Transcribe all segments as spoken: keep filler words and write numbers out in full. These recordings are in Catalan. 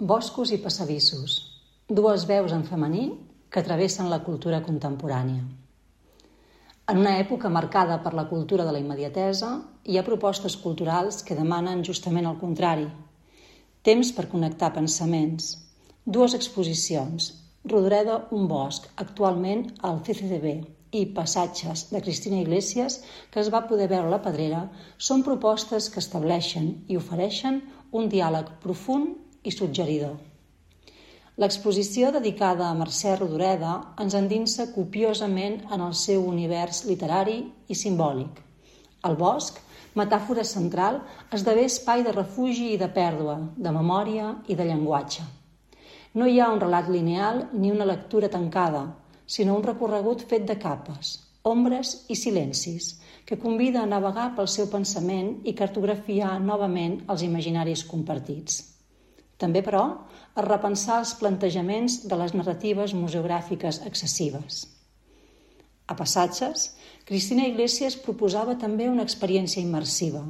Boscos i passadissos, dues veus en femení que travessen la cultura contemporània. En una època marcada per la cultura de la immediatesa, hi ha propostes culturals que demanen justament el contrari. Temps per connectar pensaments. Dues exposicions, Rodoreda, un bosc, actualment al C C D B, i Passatges, de Cristina Iglesias, que es va poder veure a la Pedrera, són propostes que estableixen i ofereixen un diàleg profund i suggeridor. L'exposició dedicada a Mercè Rodoreda ens endinsa copiosament en el seu univers literari i simbòlic. El bosc, metàfora central, esdevé espai de refugi i de pèrdua, de memòria i de llenguatge. No hi ha un relat lineal ni una lectura tancada, sinó un recorregut fet de capes, ombres i silencis, que convida a navegar pel seu pensament i cartografiar novament els imaginaris compartits. També, però, a repensar els plantejaments de les narratives museogràfiques excessives. A Passatges, Cristina Iglesias proposava també una experiència immersiva.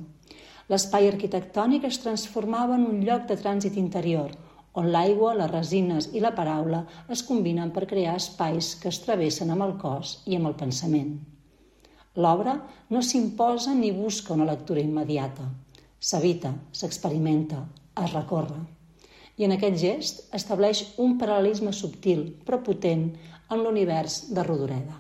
L'espai arquitectònic es transformava en un lloc de trànsit interior, on l'aigua, les resines i la paraula es combinen per crear espais que es travessen amb el cos i amb el pensament. L'obra no s'imposa ni busca una lectura immediata. S'habita, s'experimenta, es recorre. I en aquest gest estableix un paral·lelisme subtil però potent en l'univers de Rodoreda.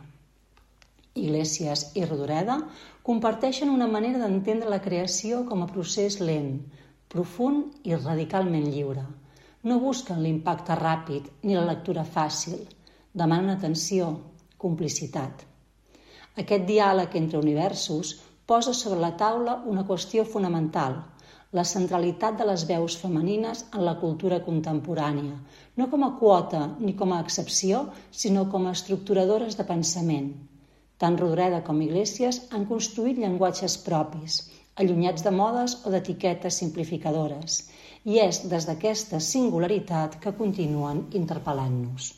Iglesias i Rodoreda comparteixen una manera d'entendre la creació com a procés lent, profund i radicalment lliure. No busquen l'impacte ràpid ni la lectura fàcil. Demanen atenció, complicitat. Aquest diàleg entre universos posa sobre la taula una qüestió fonamental, la centralitat de les veus femenines en la cultura contemporània, no com a quota ni com a excepció, sinó com a estructuradores de pensament. Tant Rodoreda com Iglesias han construït llenguatges propis, allunyats de modes o d'etiquetes simplificadores, i és des d'aquesta singularitat que continuen interpel·lant-nos.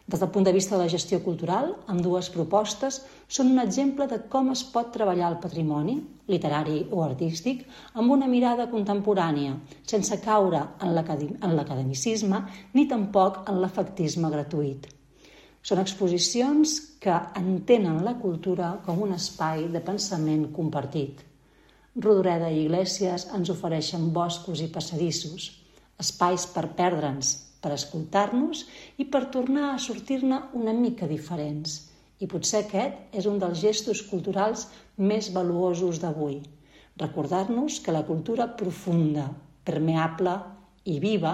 Des del punt de vista de la gestió cultural, ambdues propostes són un exemple de com es pot treballar el patrimoni, literari o artístic, amb una mirada contemporània, sense caure en l'academicisme ni tampoc en l'efectisme gratuït. Són exposicions que entenen la cultura com un espai de pensament compartit. Rodoreda i Iglesias ens ofereixen boscos i passadissos, espais per perdre'ns, per escoltar-nos i per tornar a sortir-ne una mica diferents. I potser aquest és un dels gestos culturals més valuosos d'avui. Recordar-nos que la cultura profunda, permeable i viva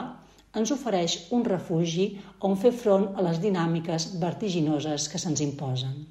ens ofereix un refugi on fer front a les dinàmiques vertiginoses que se'ns imposen.